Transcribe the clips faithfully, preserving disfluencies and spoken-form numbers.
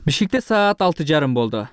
Бишкекте саат алты жарым болду.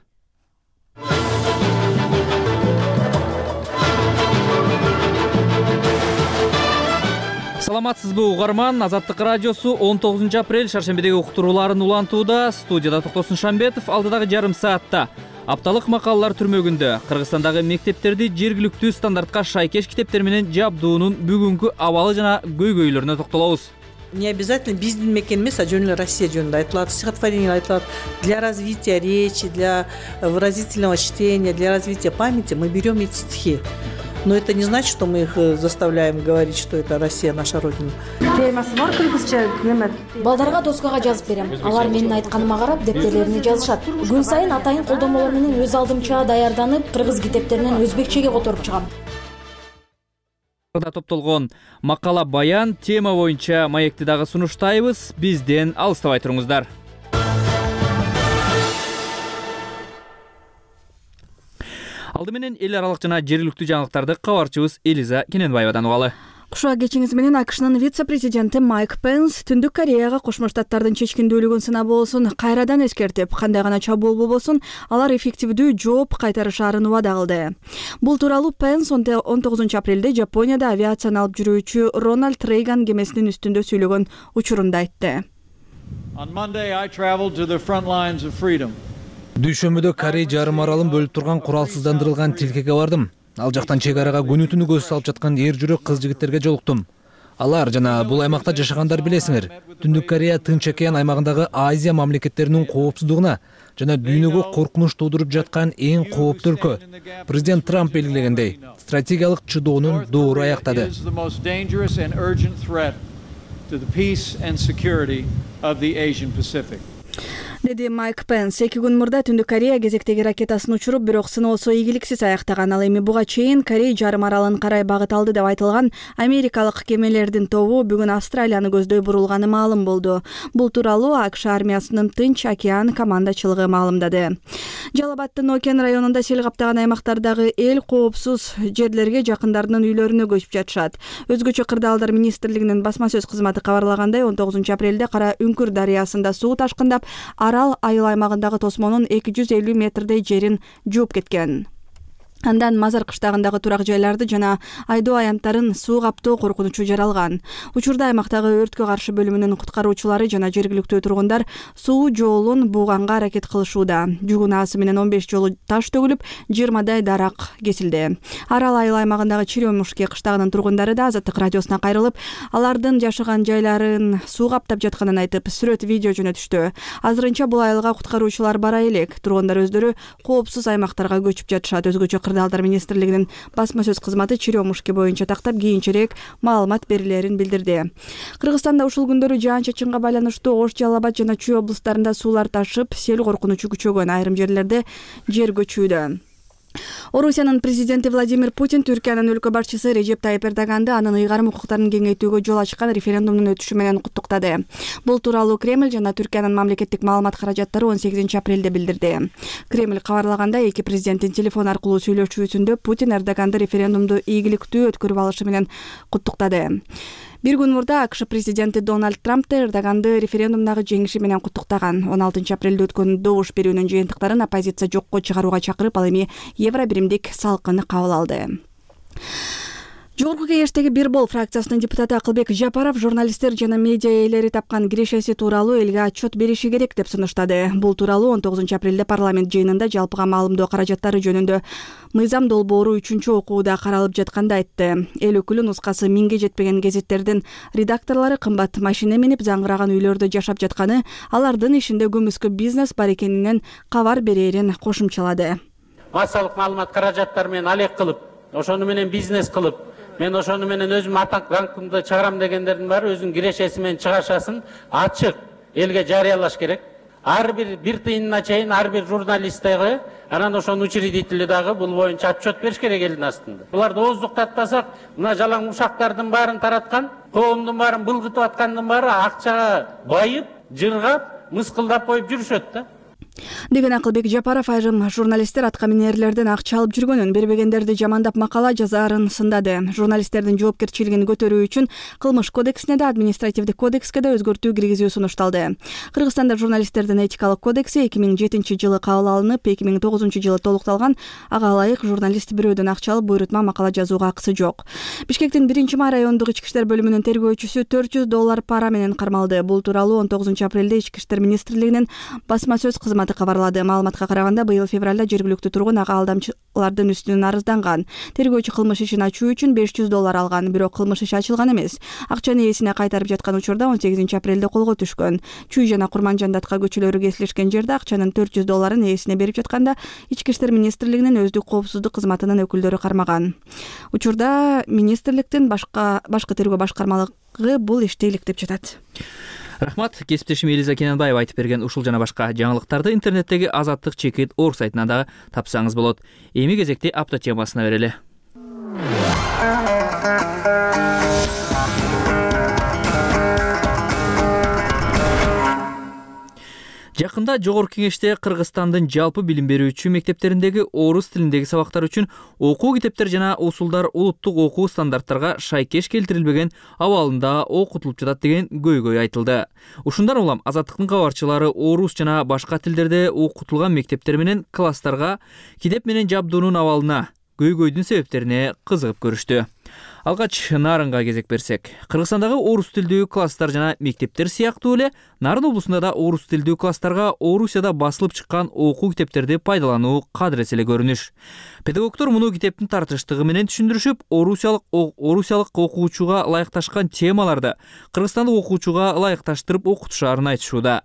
Саламатсызбы угарман, Азаттык радиосу он тогузунчу апрель шаршембидеги уктурууларын улантууда. Студияда Токтосун Шамбетов. Алдыдагы жарым саатта апталык макалалар түрмөгүндө Кыргызстандагы мектептерди жергиликтүү стандартка шайкеш китептер менен жабдуунун бүгүнкү абалы жана көйгөйлөрүнө токтолобуз. Не обязательно биздин мекен эмес, а жөн эле Россия жөнүндө айтылат, стихотворение айтылат. Для развития речи, для выразительного чтения, для развития памяти мы берем эти стихи. Но это не значит, что мы их заставляем говорить, что это Россия, наша родина. Балдарга доскага жазып берем. Алар менин айтканыма карап дептерлерине жазышат. Күн сайын атайын колдомолор менен өз алдымча даярданып, кыргыз китептеринен өзбекчеге которуп чыгам. Топтолгон макала баян тема боюнча маекти дагы сунуштайбыз. Бизден алыстабай туруңуздар. Алды менен эл аралык жана жергиликтүү жаңылыктарды кабарчыбыз Элиза Кененбаевадан угалы. Куша кечиңиз менен АКШнын вице-президенти Майк Пенс Түндүк Кореяга Кошмо Штаттардын чечкиндүүлүгүн сынап болсун кайрадан эскертип, кандай гана чабуул болбосун, алар эффективдүү жооп кайтарышаарын убада кылды. Бул тууралуу Пенс он тогузунчу апрелде Жапонияда авиацияны алып жүрүүчү Рональд Рейган кемесинин үстүндө сүйлөгөн учурунда айтты. Дүйшөмбүдө Корей жарым аралын бөлүп турган куралсыздандырылган тилкеге бардым. Ал жактан чек арага күнү түнү көз салып жаткан эр жүрөк кыз жигиттерге жолуктум. Алар жана бул аймакта жашагандар билесиңер, Түндүк Корея Тынч океан аймагындагы Азия мамлекеттеринин коопсуздугуна жана дүйнөгө коркунуч туудуруп жаткан эң кооптуу өлкө. Президент Трамп белгилегендей, стратегиялык чыдоонун доору аяктады. Деди Майк Пенс. Эки күн мурда Түндүк Корея кезектеги ракетасын учуруп, бирок сыноосу ийгиликсиз аяктаган. Ал эми буга чейин Корей жарым аралын карай багыт алды деп айтылган америкалык кемелердин тобу бүгүн Австралияны көздөй бурулганы маалым болду. Бул тууралуу АКШ армиясынын Тынч океан командачылыгы маалымдады. Жалал Абадтын Окен районунда сел каптаган аймактардагы эл коопсуз жерлерге жакындарынын үйлөрүнө көчүп жатышат. Өзгөчө кырдаалдар министрлигинин басма сөз кызматы кабарлагандай, он тогузунчу апрелде Кара Үңкүр дарыясында суу ташкындап, арал айыл аймагындагы тосмонун эки жүз элүү метрдей жерин жууп кеткен. Андан Мазар кыштагындагы турак жайларды жана айдоо аянттарын суу каптоо коркунучу жаралган. Учурда аймактагы өрткө каршы бөлүмүнүн куткаруучулары жана жергиликтүү тургундар суу жолун бууганга аракет кылышууда. Жүгүн аасы менен он беш жолу таш төгүлүп, жыйырмадай дарак кесилди. Арал айыл аймагындагы Черемушки кыштагынын тургундары да Азаттык радиосуна кайрылып, алардын жашаган жайларын суу каптап жатканын айтып, сүрөт видео жөнөтүштү. Азырынча бул айылга куткаруучулар бара элек. Тургундар өздөрү коопсуз аймактарга көчүп жатышат. Өзгөчө Кырдаалдар министрлигинин басма сөз кызматы Черемушки боюнча тактап кийинчерээк маалымат берилерин билдирди. Кыргызстанда ушул күндөрү жаан-чачынга байланыштуу Ош, Жалал Абад жана Чүй облустарында суулар ташып, сел коркунучу күчөгөн, айрым жерлерде жер көчүүдө. Орусиянын президенти Владимир Путин Түркиянын өлкө башчысы Режеп Тайып Эрдоганды анын ыйгарым укуктарын кеңейтүүгө жол ачкан референдумдун өтүшү менен куттуктады. Бул тууралуу Кремль жана Түркиянын мамлекеттик маалымат каражаттары он сегизинчи апрелде билдирди. Кремль кабарлагандай, эки президенттин телефон аркылуу сүйлөшүүсүндө Путин Эрдоганды референдумду ийгиликтүү өткөрүп алышы менен куттуктады. Бир күн мурда АКШ президенти Дональд Трамп Эрдоганды референдумдагы жеңиши менен куттуктаган. он алтынчы апрелде өткөн добуш берүүнүн жыйынтыктарын оппозиция жокко чыгарууга чакырып, ал эми евро биримдик салкын кабыл алды. Жогорку кеңештеги Бир бол фракциясынын депутаты Акылбек Жапаров журналисттер жана медиа ээлери тапкан кирешеси тууралуу элге отчет бериши керек деп сунуштады. Бул тууралуу он тогузунчу апрелде парламент жыйынында жалпыга маалымдоо каражаттары жөнүндө мыйзам долбоору үчүнчү окууда каралып жатканда айтты. Эл өкүлү нускасы миңге жетпеген гезиттердин редакторлору кымбат машина минип заңгыраган үйлөрдө жашап жатканы, алардын ишинде көмүскө бизнес бар экенинен кабар берерин кошумчалады. Массалык маалымат каражаттары менен алек кылып, ошону менен бизнес кылып, мен ошону менен өзүм атак ранкымды чыгарам дегендердин баары өзүнүн кирешеси менен чыгашасын ачык элге жарыялаш керек. Ар бир бир тыйынына чейин ар бир журналист дагы, анан ошонун учредители дагы бул боюнча отчет бериш керек элдин астында. Буларды ооздуктатпасак, мына жалаң ушактардын баарын тараткан, коомдун баарын былгытып аткандын баары акчага байып, жыргап, мыскылдап коюп жүрүшөт да. деген Акылбек Жапаров айрым журналисттер атка минерлерден акча алып жүргөнүн, бербегендерди жамандап макала жазаарын сындады. Журналисттердин жоопкерчилигин көтөрүү үчүн Кылмыш кодексине да, административдик кодекске да өзгөртүү киргизүү сунушталды. Кыргызстанда журналисттердин этикалык кодекси эки миң жетинчи жылы кабыл алынып, эки миң тогузунчу жылы толукталган. Ага ылайык журналист бирөөдөн акча алып буйрутма макала жазууга акысы жок. Бишкектин биринчи май райондук ички иштер бөлүмүнүн тергөөчүсү төрт жүз доллар пара менен кармалды. Бул тууралуу он тогузунчу апрелде ички иштер министрлигинин басма сөз кызматы кабарлады. Маалыматка караганда, быйыл февралда жергиликтүү тургун ага алдамчылардын үстүнөн арызданган. Тергөөчү кылмыш ишин ачуу үчүн беш жүз доллар алган, бирок кылмыш иши ачылган эмес. Акчаны ээсине кайтарып жаткан учурда он сегизинчи апрелде колго түшкөн. Чүй жана Курманжандатка көчөлөрү кесилишкен жерде акчанын төрт жүз долларын ээсине берип жатканда ички иштер министрлигинин өздүк коопсуздук кызматынын өкүлдөрү кармаган. Учурда министрликтин башка башкы тергөө башкармалыгы бул ишти иликтеп жатат. Рахмат. Кесиптешим Элиза Кененбаева айтып берген ушул жана башка жаңылыктарды интернеттеги Азаттык чекит орг сайтынан дагы тапсаңыз болот. Эми кезекти апта темасына берели. Жакында Жогорку Кеңеште Кыргызстандын жалпы билим берүүчү мектептериндеги орус тилиндеги сабактар үчүн окуу китептер жана усулдар улуттук окуу стандарттарга шайкеш келтирилбеген абалында окутулуп жатат деген көйгөй айтылды. Ушундан улам Азаттыктын кабарчылары орус жана башка тилдерде окутулган мектептер менен класстарга китеп менен жабдуунун абалына, көйгөйдүн себептерине кызыгып көрүштү. Алгач Нарынга кезек берсек, Кыргызстандагы орус тилдүү класстар жана мектептер сыяктуу эле Нарын облусунда да орус тилдүү класстарга Орусияда басылып чыккан окуу китептерди пайдалануу кадырес эле көрүнүш. Педагогдор муну китептин тартыштыгы менен түшүндүрүшүп, орусиялык орусиялык окуучуга ылайыкташкан темаларды кыргызстандык окуучуга ылайыкташтырып окутушаарын айтышууда.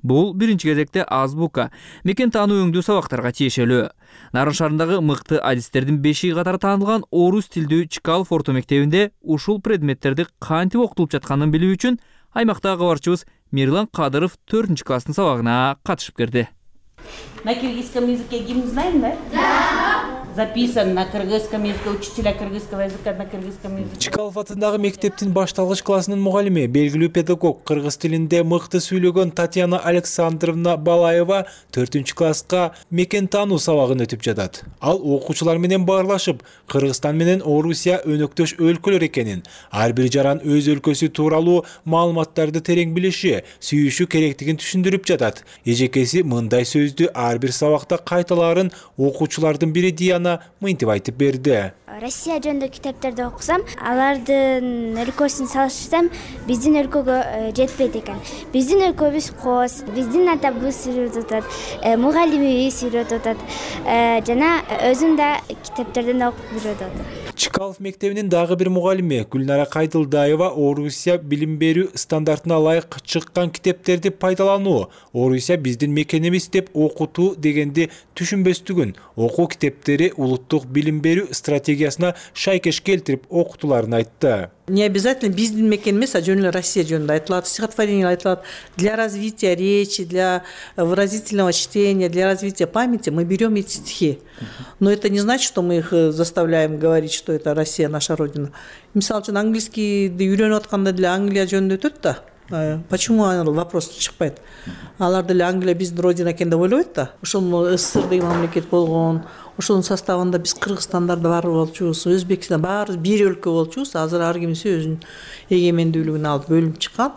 Бул биринчи кезекте азбука, мекен таануу өңдүү сабактарга тиешелүү. Нарын шаарындагы мыкты адистердин бешиги катары таанылган орус тилдүү Чкалов орто мектебинде ушул предметтерди кантип окутулуп жатканын билүү үчүн аймактагы кабарчыбыз Мирлан Кадыров төртүнчү класстын сабагына катышып келди. На киргизском языке гимн знаем, да? Да. Записан на кыргызском языке, учителя кыргызского языка на кыргызском языке. Чкалов атындагы мектептин башталгыч классынын мугалими, белгилүү педагог, кыргыз тилинде мыкты сүйлөгөн Татьяна Александровна Балаева төртүнчү класска мекен таануу сабагын өтүп жатат. Ал окуучулар менен баарлашып, Кыргызстан менен Орусия өнөктөш өлкөлөр экенин, ар бир жаран өз өлкөсү тууралуу маалыматтарды терең билиши, сүйүшү керектигин түшүндүрүп жатат. Эжекеси мындай сөздү ар бир сабакта кайталаарын окуучулардын бири Диана мынтип айтып берди. Россия жөнүндө китептерди окусам, алардын өлкөсүн салыштырсам, биздин өлкөгө жетпейт экен. Биздин өлкөбүз кооз, биздин атабыз үйрөтүп атат, мугалимибиз үйрөтүп атат, жана өзүм да китептерден окуп үйрөтүп атам. Чкалов мектебинин дагы бир мугалими Гүлнара Кайдылдаева Орусия билим берүү стандартына ылайык чыккан китептерди пайдалануу, Орусия биздин мекенибиз деп окутуу дегенди түшүнбөстүгүн, окуу китептери улуттук билим берүү стратегиясына шайкеш келтирип окутуларын айтты. Не обязательно биздин мекен эмес, а жөн эле Россия жөнүндө айтылат, стихотворение айтылат. Для развития речи, для выразительного чтения, для развития памяти мы берем эти стихи. Но это не значит, что мы их заставляем говорить, что это Россия, наша родина. Мисалы үчүн английскийди үйрөнүп атканда деле Англия жөнүндө өтөт да. Почему вопрос чыкпайт? Алар деле Англия биздин родина экен деп ойлойт да. Ошол СССР деген мамлекет болгон. Ошонун составында биз Кыргызстандарда бар болчубуз, Өзбекстан баарыбыз бир өлкө болчубуз. Азыр ар кимиси өзүнүн эгемендүүлүгүн алып бөлүнүп чыккан.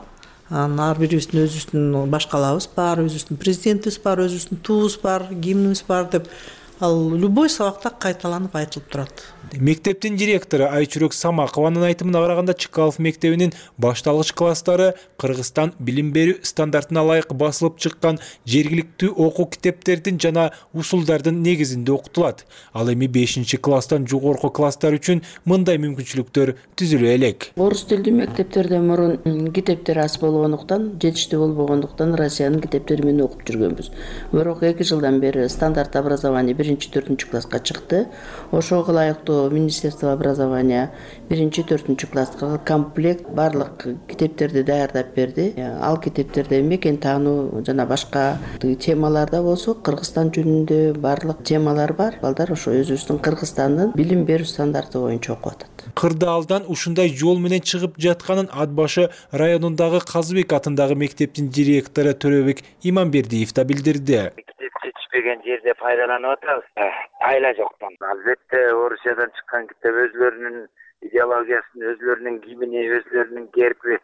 Анан ар бирибиздин өзүбүздүн башкалабыз бар, өзүбүздүн президентибиз бар, өзүбүздүн туубуз бар, гимнибиз бар деп ал любой сабакта кайталанып айтылып турат. Мектептин директору Айчүрөк Самакованын айтымына караганда, Чкалов мектебинин башталгыч класстары Кыргызстан билим берүү стандартына ылайык басылып чыккан жергиликтүү окуу китептердин жана усулдардын негизинде окутулат. Ал эми бешинчи класстан жогорку класстар үчүн мындай мүмкүнчүлүктөр түзүлө элек. Орус тилдүү мектептерде мурун китептер аз болгондуктан, жетиштүү болбогондуктан Россиянын китептери менен окуп жүргөнбүз. Бирок эки жылдан бери стандарт образование биринчи төртүнчү класска чыкты. Ошого ылайыктуу Министерство образования биринчи төртүнчү класска комплект барлык китептерди даярдап берди. Ал китептерде мекен таануу жана башка темаларда болсо Кыргызстан жөнүндө барлык темалар бар. Балдар ошо өзүбүздүн Кыргызстандын билим берүү стандарты боюнча окуп атат. Кырдаалдан ушундай жол менен чыгып жатканын Ат башы районундагы Казыбек атындагы мектептин директору Төрөбек Иманбердиев да билдирди. келген жерде пайдаланып атабыз. Айла жоктон. Албетте Орусиядан чыккан китеп өзлөрүнүн идеологиясын, өзлөрүнүн кийимини, өзлөрүнүн герби,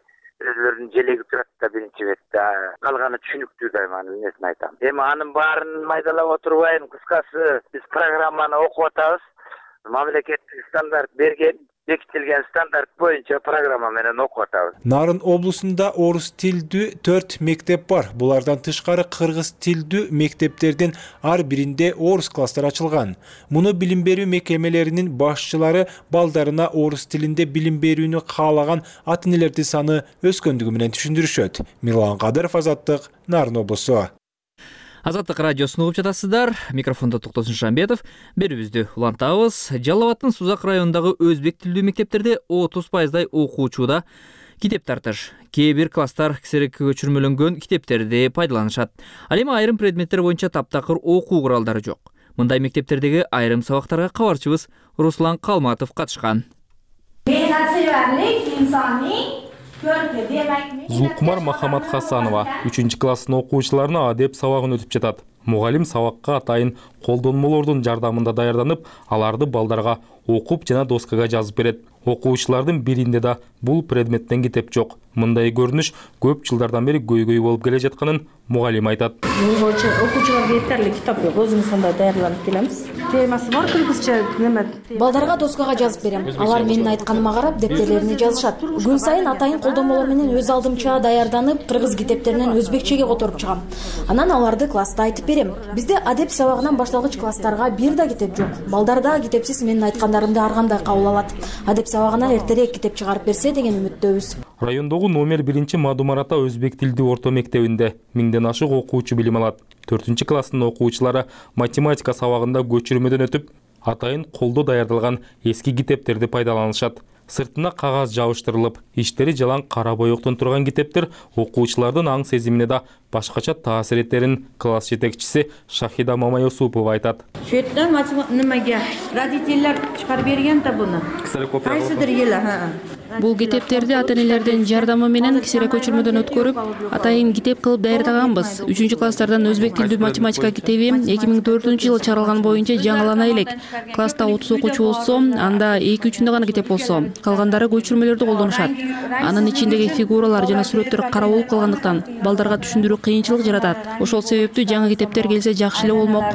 өзлөрүнүн желеги турат да биринчи бетте. Калганы түшүнүктүү дайман эмесин айтам. Эми анын баарын майдалап отурбайм. Кыскасы биз программаны окуп атабыз. Мамлекеттик стандарт берген, бекитилген стандарт боюнча программа менен окуп атабыз. Нарын облусунда орус тилдүү төрт мектеп бар. Булардан тышкары кыргыз тилдүү мектептердин ар биринде орус класстары ачылган. Муну билим берүү мекемелеринин башчылары балдарына орус тилинде билим берүүнү каалаган ата-энелердин саны өскөндүгү менен түшүндүрүшөт. Милан Кадыров, Азаттык, Нарын облусу. Азаттык радиосун угуп жатасыздар. Микрофондо Токтосун Шамбетов. Берүүбүздү улантабыз. Жалал Абадтын Сузак районундагы өзбек тилдүү мектептерде отуз пайыздай окуучуда китеп тартыш. Кээ бир класстар ксерекке көчүрмөлөнгөн китептерди пайдаланышат. Ал эми айрым предметтер боюнча таптакыр окуу куралдары жок. Мындай мектептердеги айрым сабактарга кабарчыбыз Руслан Калматов катышкан. Зулкумар Махамад Хасанова үчүнчү класстын окуучуларына адеп сабагын өтүп жатат. Мугалим сабакка атайын колдонмолордун жардамында даярданып, аларды балдарга окуп жана доскага жазып берет. Окуучулардын биринде да бул предметтен китеп жок. Мындай көрүнүш көп жылдардан бери көйгөй болуп келе жатканын мугалим айтат. Окуучуларга жетерлик китап жок. Өзүбүз андай даярданып келебиз. Темасы бар кыргызча неме. Балдарга доскага жазып берем. Алар менин айтканыма карап дептерлерине жазышат. Күн сайын атайын колдонмолор менен өз алдымча даярданып, кыргыз китептеринен өзбекчеге которуп чыгам. Анан аларды класста айтып берем. Бизде адеп сабагынан башталгыч класстарга бир да китеп жок. Балдар да китепсиз менин айткандарымды ар кандай кабыл алат. Адеп сабагынан эртерээк китеп чыгарып берсе деген үмүттөбүз. Райондогу номер биринчи Мадумарата өзбек тилдүү орто мектебинде миңден ашык окуучу билим алат. төртүнчү класстын окуучулары математика сабагында көчүрмөдөн өтүп, атайын колдо даярдалган эски китептерди пайдаланышат. Сыртына кагаз жабыштырылып, иштери жалаң кара боектон турган китептер окуучулардын аң сезимине да башкача таасир этерин класс жетекчиси Шахида Мамайосупова айтат. Şu yerden nimaga родительler chiqarib bergan da buni. Qaysidir yili, ha. Бул китептерди ата-энелердин жардамы менен ксерек көчүрмөдөн өткөрүп, атайын китеп кылып даярдаганбыз. үчүнчү класстардан өзбек тилдүү математика китеби эки миң төртүнчү жылы чыгарылган боюнча жаңылана элек. Класста отуз окуучу болсо, анда эки үчүндө гана китеп болсо, калгандары көчүрмөлөрдү колдонушат. Анын ичиндеги фигуралар жана сүрөттөр кара болуп калгандыктан балдарга түшүндүрүү кыйынчылык жаратат. Ошол себептүү жаңы китептер келсе жакшы эле болмок.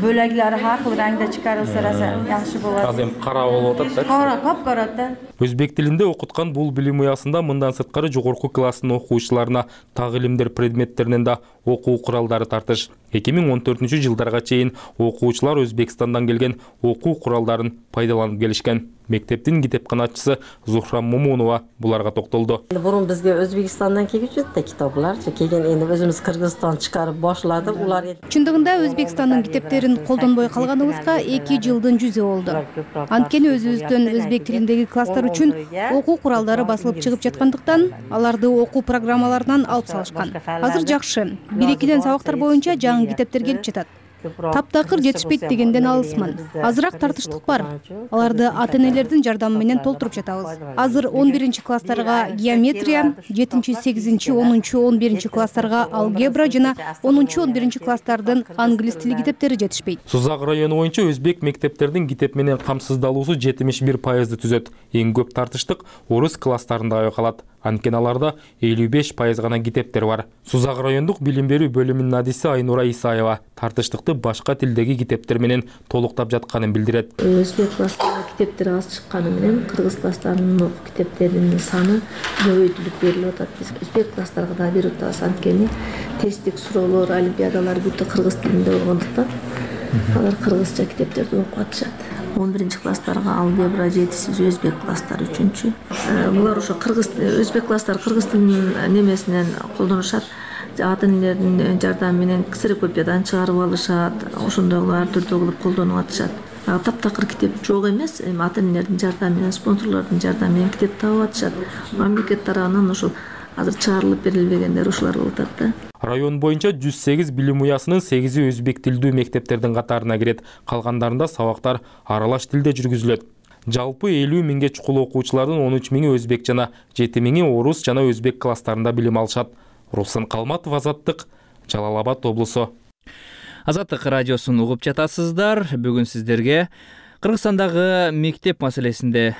Бөлөглөрү ар кыл раңда чыгарылса жакшы болот. Азыр кара болуп атат да. Кара, капкара да. Өзбек тилинде окуткан бул билим уясында мындан сырткары жогорку класстын окуучуларына так илимдер предметтеринен да окуу куралдары тартыш. эки миң он төртүнчү жылдарга чейин окуучулар Өзбекстандан келген окуу куралдарын пайдаланып келишкен. Мектептин китепканачысы Зухрам Мумунова буларга токтолду. Бурун бизге Өзбекстандан келип жатты китаплар, келген энди өзүбүз Кыргызстан чыгарып башлады. Улар чындыгында Өзбекстандын китептерин колдонбой калганыбызга эки жылдын жүзү болду. Анткени өзүбүздөн өзбек тилиндеги класстар үчүн окуу куралдары басылып чыгып жаткандыктан, аларды окуу программаларынан алып салышкан. Азыр жакшы. бир-экиден сабактар боюнча жаңы китептер келип жатат. Таптакыр жетишпейт дегенден алысмын. Азыраак тартыштык бар. Аларды ата-энелердин жардамы менен толтуруп жатабыз. Азыр он биринчи класстарга геометрия, жетинчи, сегизинчи, онунчу, он биринчи класстарга алгебра жана онунчу, он биринчи класстардын англис тили китептери жетишпейт. Сузак району боюнча өзбек мектептердин китеп менен камсыздалуусу жетимиш бир пайызды түзөт. Эң көп тартыштык орус класстарында байкалат. Анткени аларда элүү беш пайыз гана китептер бар. Сузак райондук билим берүү бөлүмүнүн адиси Айнура Исаева тартыштыкты башка тилдеги китептер менен толуктап жатканын билдирет. Өзбек класстарында китептер аз чыкканы менен кыргыз класстарынын китептеринин саны көбөйтүлүп берилип атат. Биз өзбек класстарга да берип атабыз, анткени тесттик суроолор, олимпиадалар бүт кыргыз тилинде болгондуктан алар кыргызча китептерди окуп атышат. он биринчи класстарга алгебра, жетисиз өзбек класстары үчүнчү. Булар ошо кыргыз өзбек класстар кыргыз тилинин немесинен колдонушат. Ата-энелердин жардамы менен ксерокопиядан чыгарып алышат. Ошондой ар түрдүү кылып колдонуп атышат. Таптакыр китеп жок эмес, эми ата-энелердин жардамы менен, спонсорлордун жардамы менен китеп таап атышат. Мамлекет тарабынан ошол азыр чыгарылып берилбегендер ушулар болуп атат да. Район боюнча жүз сегиз билим уясынын сегизи өзбек тилдүү мектептердин катарына кирет. Калгандарында сабактар аралаш тилде жүргүзүлөт. Жалпы элүү миңге чукул окуучулардын он үч миңи өзбек жана жети миңи орус жана өзбек класстарында билим алышат. Руслан Калматов, Азаттык, Жалал Абад облусу. Азаттык радиосун угуп жатасыздар. Бүгүн сиздерге Кыргызстандагы мектеп маселесинде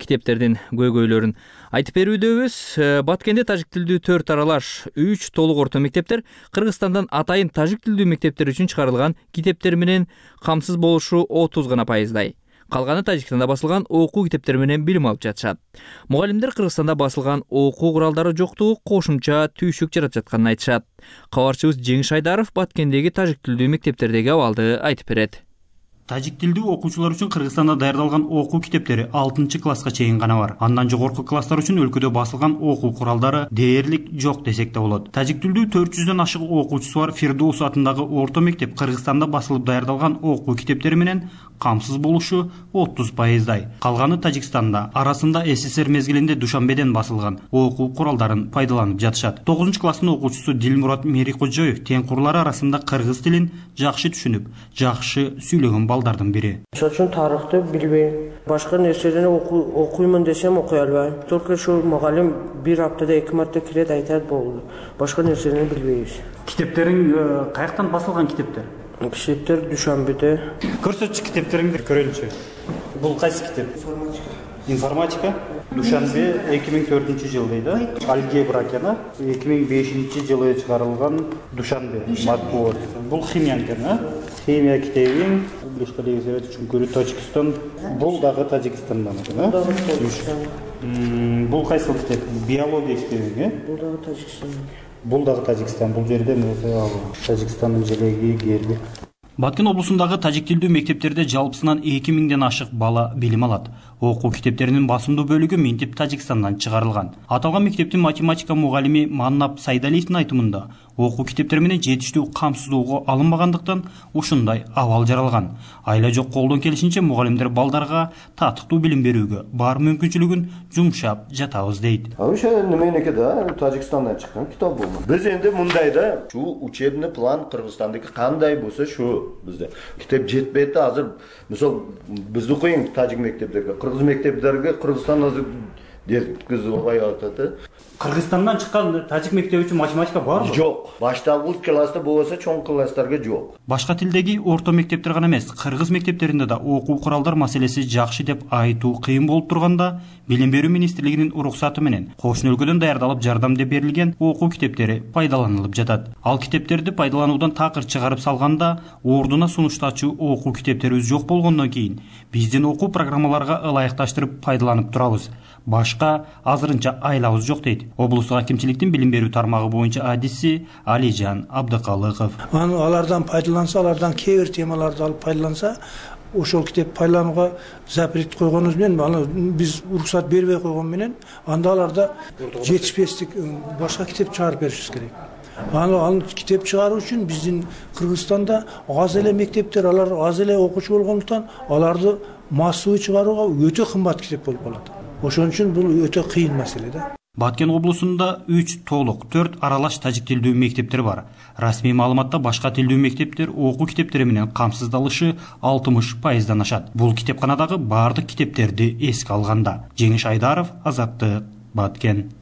китептердин көйгөйлөрүн айтып берүүдөбүз. Баткенде тажик тилдүү төрт аралаш үч толук орто мектептер Кыргызстандан атайын тажик тилдүү мектептер үчүн чыгарылган китептер менен камсыз болушу отуз гана пайыздай. Калганы Тажикстанда басылган окуу китептери менен билим алып жатышат. Мугалимдер Кыргызстанда басылган окуу куралдары жоктугу кошумча түйшүк жаратып жатканын айтышат. Кабарчыбыз Жеңиш Айдаров Баткендеги тажик тилдүү мектептердеги абалды айтып берет. Тажик тилдүү окуучулар үчүн Кыргызстанда даярдалган окуу китептери алтынчы класска чейин гана бар. Андан жогорку класстар үчүн өлкөдө басылган окуу куралдары дээрлик жок десек да болот. Тажик тилдүү төрт жүздөн ашык окуучусу бар Фирдоус атындагы орто мектеп Кыргызстанда басылып даярдалган окуу китептери менен камсыз болушу отуз пайыздай. Калганы Тажикстанда, арасында СССР мезгилинде Душанбеден басылган окуу куралдарын пайдаланып жатышат. тогузунчу класстын окуучусу Дилмурат Мерикожоев теңкурлары арасында кыргыз тилин жакшы түшүнүп, жакшы сүйлөгөн балдардын бири. Ошон үчүн тарыхты билбейм. Башка нерселерди окуймун десем окуй албайм. Только ушу мугалим бир аптада эки марта кирет, айтат болду. Башка нерселерди билбейбиз. Китептериң каяктан басылган китептер? Китептер Душанбеде. Көрсөтчү китептериңди көрөлүчү. Бул кайсы китеп? Информатика. Информатика. Душанбе эки миң төртүнчү жыл дейт, алгебра экен, эки миң бешинчи жылы чыгарылган Душанбе матбуот. Бул химия экен, химия китебиң Республика Совет үчүн Тажикстан. Бул дагы Тажикстандан экен, бул кайсы китеп? Биология китебиң, э? Бул дагы Тажикстан. Бул дагы Тажикстан. Бул жерде Тажикстандын желеги, герби. Баткен облусундагы тажик тилдүү мектептерде жалпысынан эки миңден ашык бала билим алат. Окуу китептеринин басымдуу бөлүгү минтип Тажикстандан чыгарылган. Аталган мектептин математика мугалими Маннап Сайдалиевдин айтымында, окуу китептери менен жетиштүү камсыздоого алынбагандыктан ушундай абал жаралган. Айла жок колдон келишинче мугалимдер балдарга татыктуу билим берүүгө бар мүмкүнчүлүгүн жумшап жатабыз дейт. Ошо неменеке да Тажикстандан чыккан китап бул. Биз энди мындай да, ушу учебный план Кыргызстандыкы кандай болсо шу бизде. Китеп жетпейт да азыр. Мисал бизди коюң тажик мектептерге, кыргыз мектептерге Кыргызстан азыр деткиз албай атат. Кыргызстандан чыккан тажик мектеби үчүн математика барбы? Жок. Башталгыч класста болсо чоң класстарга жок. Башка тилдеги орто мектептер гана эмес, кыргыз мектептеринде да окуу куралдар маселеси жакшы деп айтуу кыйын болуп турганда, Билим берүү министрлигинин уруксаты менен кошуна өлкөдөн даярдалып жардам деп берилген окуу китептери пайдаланылып жатат. Ал китептерди пайдалануудан такыр чыгарып салганда, ордуна сунуштачу окуу китептерибиз жок болгондон кийин биздин окуу программаларга ылайыкташтырып пайдаланып турабыз. Башка азырынча айлабыз жок дейт облустук акимчиликтин билим берүү тармагы боюнча адиси Алижан Абдыкалыков. Алардан пайдаланса, алардан кээ бир темаларды алып пайдаланса, ошол китеп пайдаланууга запрет койгонубуз менен, биз уруксат бербей койгон менен, анда аларда жетишпестик башка китеп чыгарып беришибиз керек. Ал китеп чыгаруу үчүн биздин Кыргызстанда аз эле мектептер, алар аз эле окуучу болгондуктан, аларды массовый чыгарууга өтө кымбат китеп болуп калат. Ошон үчүн бул өтө кыйын маселе да. Баткен облусунда үч толук, төрт аралаш тажик тилдүү мектептер бар. Расмий маалыматта башка тилдүү мектептер окуу китептери менен камсыздалышы алтымыш пайыздан ашат. Бул китепканадагы бардык китептерди эске алганда. Жеңиш Айдаров, Азаттык, Баткен.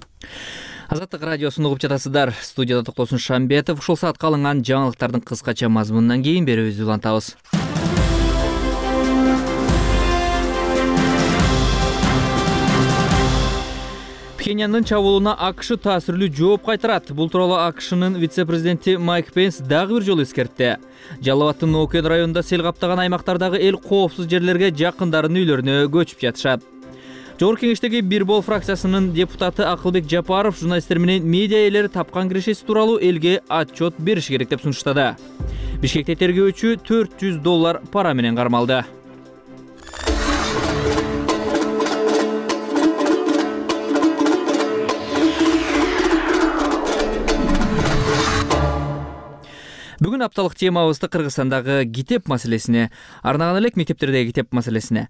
Азаттык радиосун угуп жатасыздар. Студияда Токтосун Шамбетов. Ушул саатка алынган жаңылыктардын кыскача мазмунунан кийин берүүбүздү улантабыз. Пхеньяндын чабуулуна АКШ таасирлүү жооп кайтарат. Бул тууралуу АКШнын вице-президенти Майк Пенс дагы бир жолу эскертти. Жалал-Абадтын Окен районунда сел каптаган аймактардагы эл коопсуз жерлерге жакындарынын үйлөрүнө көчүп жатышат. Жогорку кеңештеги Бир бол фракциясынын депутаты Акылбек Жапаров журналисттер менен медиа ээлери тапкан кирешеси тууралуу элге отчет бериши керек деп сунуштады. Бишкекте тергөөчү төрт жүз доллар пара менен кармалды. Бүгүн апталык темабызды Кыргызстандагы китеп маселесине арнаган элек, мектептердеги китеп маселесине.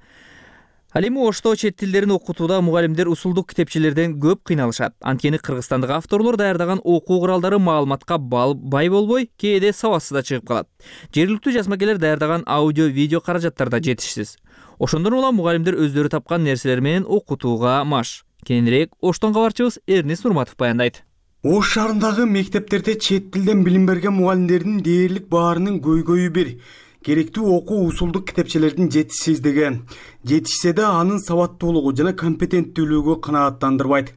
Ал эми Ошто чет тилдерин окутууда мугалимдер усулдук китепчелерден көп кыйналышат. Анткени Кыргызстандагы авторлор даярдаган окуу куралдары маалыматка бай болбой, кээде сабатсыз да чыгып калат. Жергиликтүү жазмакерлер даярдаган аудио-видео каражаттар да жетишсиз. Ошондон улам мугалимдер өздөрү тапкан нерселер менен окутууга маш. Кененирээк Оштон кабарчыбыз Эрнис Нурматов баяндайт. Ош шаарындагы мектептерде чет тилден билим берген мугалимдердин дээрлик баарынын көйгөйү бир. Керектүү окуу усулдук китепчелердин жетишсиздиги. Жетишсе да анын сабаттуулугу жана компетенттүүлүгү канааттандырбайт.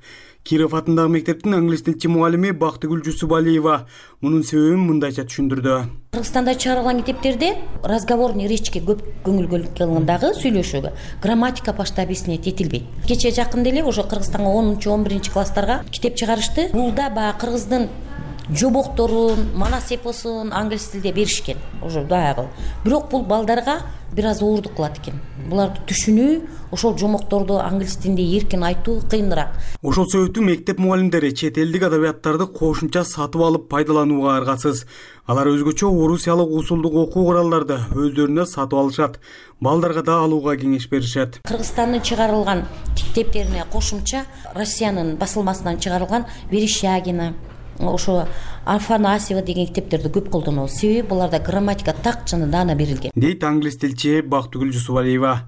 Киров атындагы мектептин англис тилчи мугалими Бактыгүл Жусубалиева мунун себебин мындайча түшүндүрдү. Кыргызстанда чыгарылган китептерде разговорный речке көп көңүл бөлүнгөндагы сүйлөшүүгө грамматика башта объяснять этилбейт. Кечээ жакында эле ошо Кыргызстанга онунчу он биринчи класстарга китеп чыгарышты. Бул да баягы кыргыздын жобокторун, манас эпосун англис тилде беришкен. Ошо баягы. Бирок бул балдарга бир аз оорундук кылат экен. Буларды түшүнүү, ошол жомокторду англис тилинде эркин айтуу кыйыныраак. Ошол себептүү мектеп мугалимдери чет элдик адабияттарды кошумча сатып алып пайдаланууга аргасыз. Алар өзгөчө орусиялык усулдук окуу куралдарды өздөрүнө сатып алышат. Балдарга да алууга кеңеш беришет. Кыргызстандын чыгарылган китептерине кошумча Россиянын басылмасынан чыгарылган Верещагина, ошо Афанасьева деген китептерди көп колдонобуз. Себеби буларда грамматика так жана даана берилген. Дейт англис тилчи Бактыгүл Жусубалиева.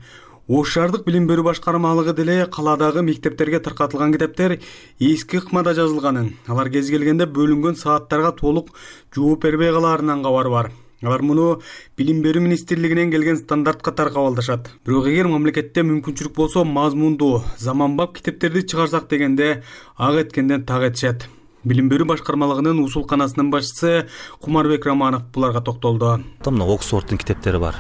Ош шаардык билим берүү башкармалыгы деле каладагы мектептерге таркатылган китептер эски ыкмада жазылганын, алар кез келгенде бөлүнгөн сааттарга толук жооп бербей калаарынан кабары бар. Алар муну билим берүү министрлигинен келген стандарт катары кабылдашат. Бирок эгер мамлекетте мүмкүнчүлүк болсо мазмундуу, заманбап китептерди чыгарсак дегенде ак эткенден так этишет. Билим берүү башкармалыгынын усулканасынын башчысы Кумарбек Романов буларга токтолду. Мына Оксфорддун китептери бар.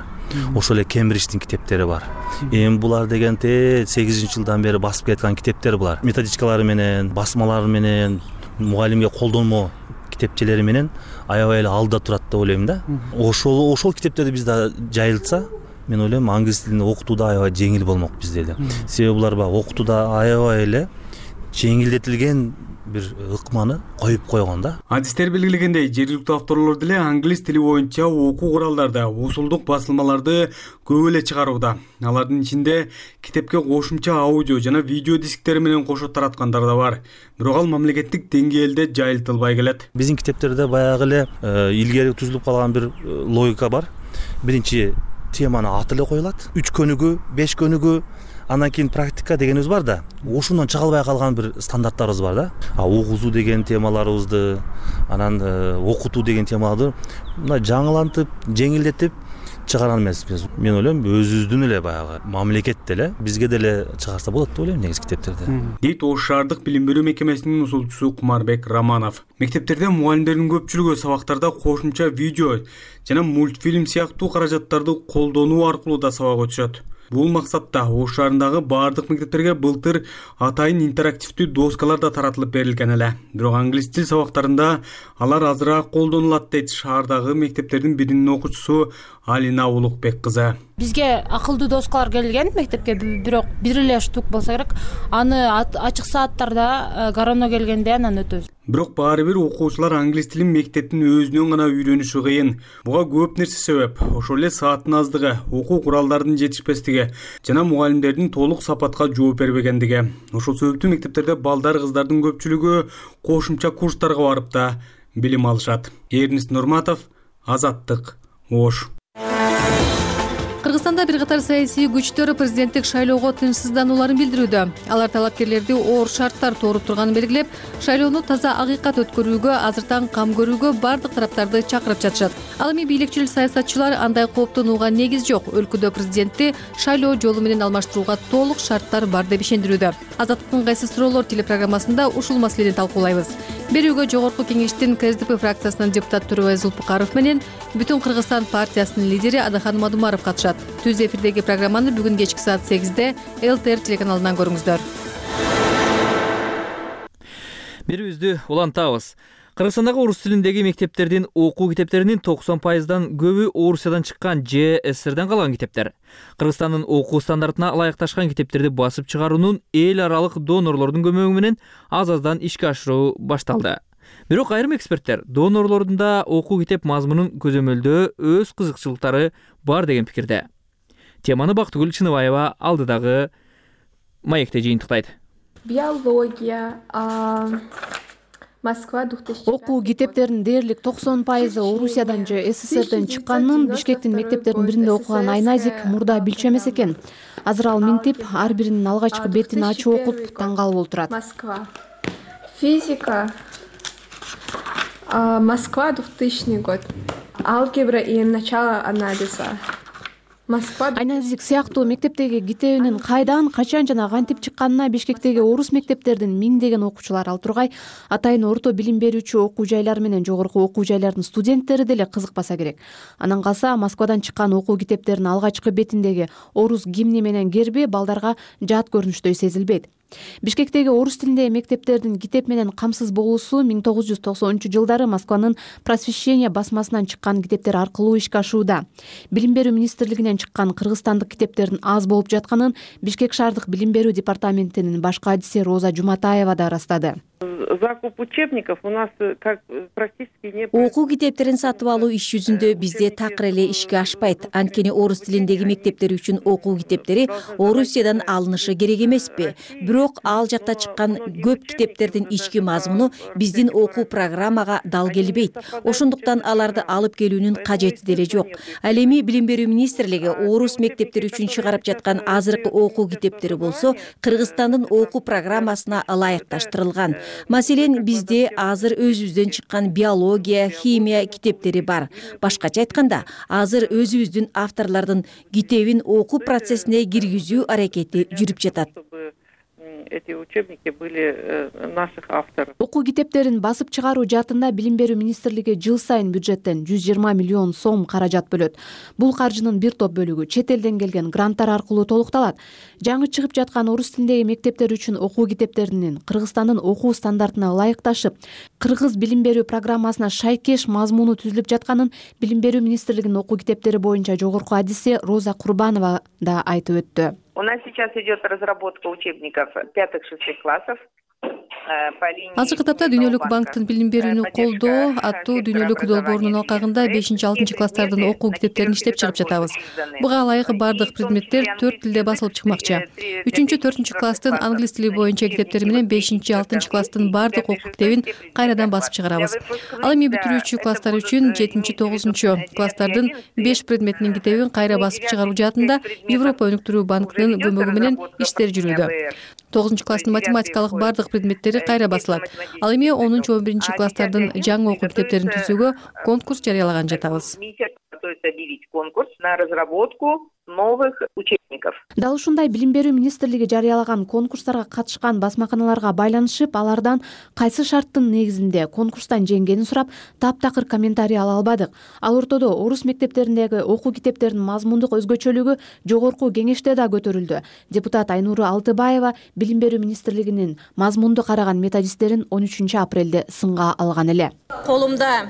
Ошол эле Кембридждин китептери бар. Эми булар дегенде сегизинчи жылдан бери басып келаткан китептер булар. Методичкалары менен, басмалары менен, мугалимге колдонмо китепчелери менен аябай эле алда турат деп ойлойм да. Ошол ошол китептерди бизде жайылтса, мен ойлойм англис тилин окутууда аябай жеңил болмок бизде эле. Себеби булар баягы окутууда аябай эле жеңилдетилген бир ыкманы коюп койгон да. Адистер белгилегендей, жергиликтүү авторлор деле англис тили боюнча окуу куралдарды, усулдук басылмаларды көп эле чыгарууда. Алардын ичинде китепке кошумча аудио жана видео дисктери менен кошо тараткандар да бар. Бирок ал мамлекеттик деңгээлде жайылтылбай келет. Биздин китептерде баягы эле илгери түзүлүп калган бир логика бар. Биринчи теманы аты эле коюлат. үч көнүгүү, беш көнүгүү, андан кийин практика дегенибиз бар да. Ошондон чыга албай калган бир стандарттарыбыз бар да. А окуусу деген темаларыбызды, анан окутуу деген темаларды мына жаңылантып, жеңилдетип чыгарган эмеспиз. Мен ойлойм, өзүбүздүн эле баягы мамлекет деле бизге деле чыгарса болот деп ойлойм негизи китептерди. Дейт Ош шаардык билим берүү мекемесинин усулчусу Кумарбек Романов. Мектептерде мугалимдердин көпчүлүгү сабактарда кошумча видео жана мультфильм сыяктуу каражаттарды колдонуу аркылуу да сабак өтүшөт. Бул максатта Ош шаарындагы баардык мектептерге былтыр атайын интерактивдүү доскалар да таратылып берилген эле. Бирок англис тил сабактарында алар азыраак колдонулат дейт шаардагы мектептердин биринин окуучусу Алина Улукбек кызы. Бизге акылдуу доскалар келген мектепке, бирок бир эле штук болсо керек. Аны ачык сааттарда корона келгенде анан өтөбүз. Бирок баары бир окуучулар англис тилин мектептин өзүнөн гана үйрөнүшү кыйын. Буга көп нерсе себеп. Ошол эле сааттын аздыгы, окуу куралдардын жетишпестиги жана мугалимдердин толук сапатка жооп бербегендиги. Ошол себептүү мектептерде балдар, кыздардын көпчүлүгү кошумча курстарга барып да билим алышат. Эрнест Нурматов, Азаттык, Ош. Кыргызстанда бир катар саясий күчтөр президенттик шайлоого тынчсызданууларын билдирүүдө. Алар талапкерлерди оор шарттар тууруп турганын белгилеп, шайлоону таза акыйкат өткөрүүгө, азыртан кам көрүүгө бардык тараптарды чакырып жатышат. Ал эми бийликчил саясатчылар андай кооптонууга негиз жок, өлкөдө президентти шайлоо жолу менен алмаштырууга толук шарттар бар деп ишендирүүдө. Азаттыктын кайсы суроолор телепрограммасында ушул маселени талкуулайбыз. Берүүгө Жогорку кеңештин КСДП фракциясынын депутат Тургай Зулпукаров менен Бүтүн Кыргызстан партиясынын лидери Адахан Мадумаров катышат. Түз эфирдеги программаны бүгүн кечки саат сегизде эл тэ эр телеканалынан көрүңүздөр. Берүүбүздү улантабыз. Кыргызстандагы орус тилиндеги мектептердин окуу китептеринин токсон пайыздан көбү Орусиядан чыккан же эс эс эрден калган китептер. Кыргызстандын окуу стандартына ылайыкташкан китептерди басып чыгаруунун эл аралык донорлордун көмөгү менен аз-аздан ишке ашыруу башталды. Бирок айрым эксперттер донорлордун да окуу китеп мазмунун көзөмөлдөө өз кызыкчылыктары бар деген пикирде. Теманы Бактыгүл Чыныбаева алдыдагы маекте жыйынтыктайт. Биология, Москва две тысячи. Окуу китептеринин дээрлик токсон пайызы Орусиядан же эс эс эрден чыкканын Бишкектин мектептеринин биринде окуган Айназик мурда билчү эмес экен. Азыр ал минтип ар биринин алгачкы бетин ачып окуп таң калып отурат. Москва. Физика, Москва, двухтысячный год. Алгебра и начало анализа. Москва. Айназик сыяктуу мектептеги китебинин кайдан, качан жана кантип чыкканына Бишкектеги орус мектептердин миңдеген окуучулары ал тургай атайын орто билим берүүчү окуу жайлар менен жогорку окуу жайлардын студенттери деле кызыкпаса керек. Анан калса Москвадан чыккан окуу китептеринин алгачкы бетиндеги орус гимни менен герби балдарга жат көрүнүштөй сезилбейт. Бишкектеги орус тилиндеги мектептердин китеп менен камсыз болуусу миң тогуз жүз токсонунчу жылдары Москванын Просвещение басмасынан чыккан китептер аркылуу ишке ашууда. Билим берүү министрлигинен чыккан кыргызстандык китептердин аз болуп жатканын Бишкек шаардык билим берүү департаментинин баш кадиси Роза Жуматаева да ырастады. Закуп учебников у нас как практически не. Окуу китептерин сатып алуу иш жүзүндө бизде такыр эле ишке ашпайт. Анткени орус тилиндеги мектептер үчүн окуу китептери Орусиядан алынышы керек эмеспи. Бирок ал жакта чыккан көп китептердин ички мазмуну биздин окуу программага дал келбейт. Ошондуктан аларды алып келүүнүн кажети деле жок. Ал эми билим берүү министрлиги орус мектептери үчүн чыгарып жаткан азыркы окуу китептери болсо Кыргызстандын окуу программасына ылайыкташтырылган. Маселен, бизде азыр өзүбүздөн чыккан биология, химия китептери бар. Башкача айтканда, азыр өзүбүздүн авторлордун китебин окуу процессине киргизүү аракети жүрүп жатат. Эти учебники были наших авторов. Окуу китептерин басып чыгаруу жаатында билим берүү министрлиги жыл сайын бюджеттен жүз жыйырма миллион сом каражат бөлөт. Бул каржынын бир топ бөлүгү чет элден келген гранттар аркылуу толукталат. Жаңы чыгып жаткан орус тилиндеги мектептер үчүн окуу китептеринин Кыргызстандын окуу стандартына ылайыкташып, кыргыз билим берүү программасына шайкеш мазмуну түзүлүп жатканын билим берүү министрлигинин окуу китептери боюнча жогорку адиси Роза Курбанова да айтып өттү. У нас сейчас идет разработка учебников пятых-шестых классов. Азыркы тапта Дүйнөлүк банктын билим берүүнү колдоо аттуу дүйнөлүк долбоорунун алкагында бешинчи-алтынчы класстардын окуу китептерин иштеп чыгып жатабыз. Буга ылайык бардык предметтер төрт тилде басылып чыкмакчы. үчүнчү-төртүнчү класстын англис тили боюнча китептери менен бешинчи-алтынчы класстын бардык окуу китебин кайрадан басып чыгарабыз. Ал эми бүтүрүүчү класстар үчүн жетинчи-тогузунчу класстардын беш предметинин китебин кайра басып чыгаруу жаатында Европа өнүктүрүү банкынын көмөгү менен иштер жүрүүдө. тогузунчу класстын математикалык бардык предметтери кайра басылат. Ал эми онунчу он биринчи класстардын жаңы окуу китептерин түзүүгө конкурс жарыялаган жатабыз. Конкурс на разработку новых учебников. Дал ушундай билим берүү министрлиги жарыялаган конкурстарга катышкан басмаканаларга байланышып, алардан кайсы шарттын негизинде конкурстан жеңгенин сурап, таптакыр комментарий ала албадык. Ал ортодо орус мектептериндеги окуу китептеринин мазмундук өзгөчөлүгү жогорку кеңеште да көтөрүлдү. Депутат Айнуру Алтыбаева билим берүү министрлигинин мазмунду караган методисттерин он үчүнчү апрелде сынга алган эле. Колумда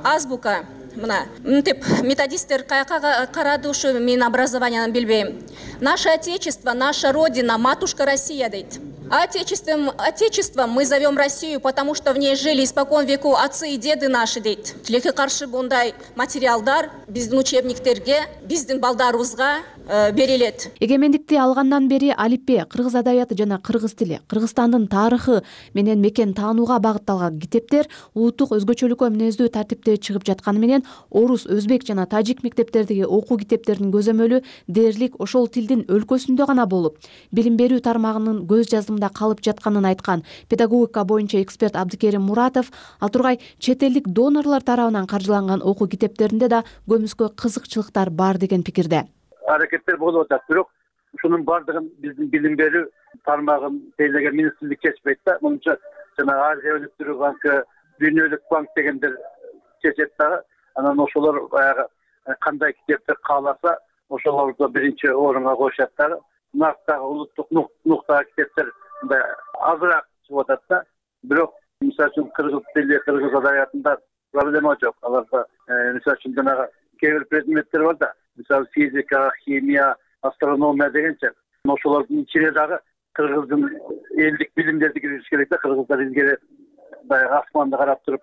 азбука мына мынтип методисттер каяка карады, ушу мен образованияны билбейм. Наше отечество, наша родина, матушка Россия дейт. Отечеством, отечеством мы зовем Россию, потому что в ней жили испокон веку отцы и деды наши дейт. Тилекке каршы bunday материалдар биздин учебниктерге, биздин балдарыбызга берилет. Эгемендикти алгандан бери алипбе, кыргыз адабияты жана кыргыз тили, Кыргызстандын тарыхы менен мекен таанууга багытталган китептер улуттук өзгөчөлүккө мүнөздүү тартипте чыгып жатканы менен орус, өзбек жана тажик мектептердеги окуу китептеринин көзөмөлү дээрлик ошол тилдин өлкөсүндө гана болуп, билим берүү тармагынын көз жазымында калып жатканын айткан педагогика боюнча эксперт Абдыкерим Муратов, ал тургай чет элдик донорлор тарабынан каржыланган окуу китептеринде да көмүскө кызыкчылыктар бар деген пикирде. Аракеттер болуп атат, бирок ушунун бардыгын биздин билим берүү тармагын тейлеген министрлик чечпейт да. Мынча жана Азия өнүктүрүү банкы, Дүйнөлүк банк дегендер чечет да. Анан ошолор баягы кандай китепти кааласа, ошолорду биринчи орунга коюшат да. Нарктагы улуттук нуктагы китептер мындай азыраак чыгып атат да. Бирок мисалы үчүн кыргыз тили, кыргыз адабиятында проблема жок. Аларда мисалы үчүн жанагы кээ бир предметтер бар да. Мисалы физика, химия, астрономия дегенче. Ошолордун ичине дагы кыргыздын элдик билимдерди киргизиш керек да. Кыргыздар илгери баягы асманды карап туруп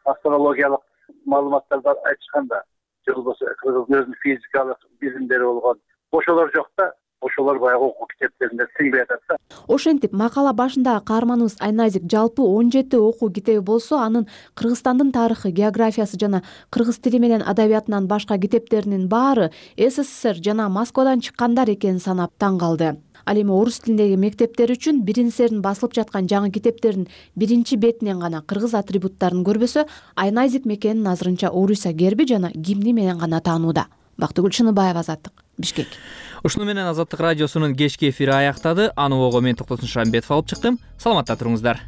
астрологиялык маалыматтарды айтышкан да. Же болбосо кыргыздын өзүнүн физикалык билимдери болгон. Ошолор жок да. Ошолор баягы окуу китептеринде сиңбей атат да. Ошентип, макала башындагы каарманыбыз Айназик жалпы он жети окуу китеби болсо, анын Кыргызстандын тарыхы, географиясы жана кыргыз тили менен адабиятынан башка китептеринин баары СССР жана Москвадан чыккандар экенин санап таң калды. Ал эми орус тилиндеги мектептер үчүн биринсердин басылып жаткан жаңы китептердин биринчи бетинен гана кыргыз атрибуттарын көрбөсө, Айназик мекенин азырынча Орусия герби жана гимни менен гана таанууда. Бактыгүл Шыныбаева, Азаттык, Бишкек. Ушуну менен Азаттык радиосунун кечки эфири аяктады. Аны ого мен Токтосун Шамбетов алып чыктым. Саламатта туруңуздар.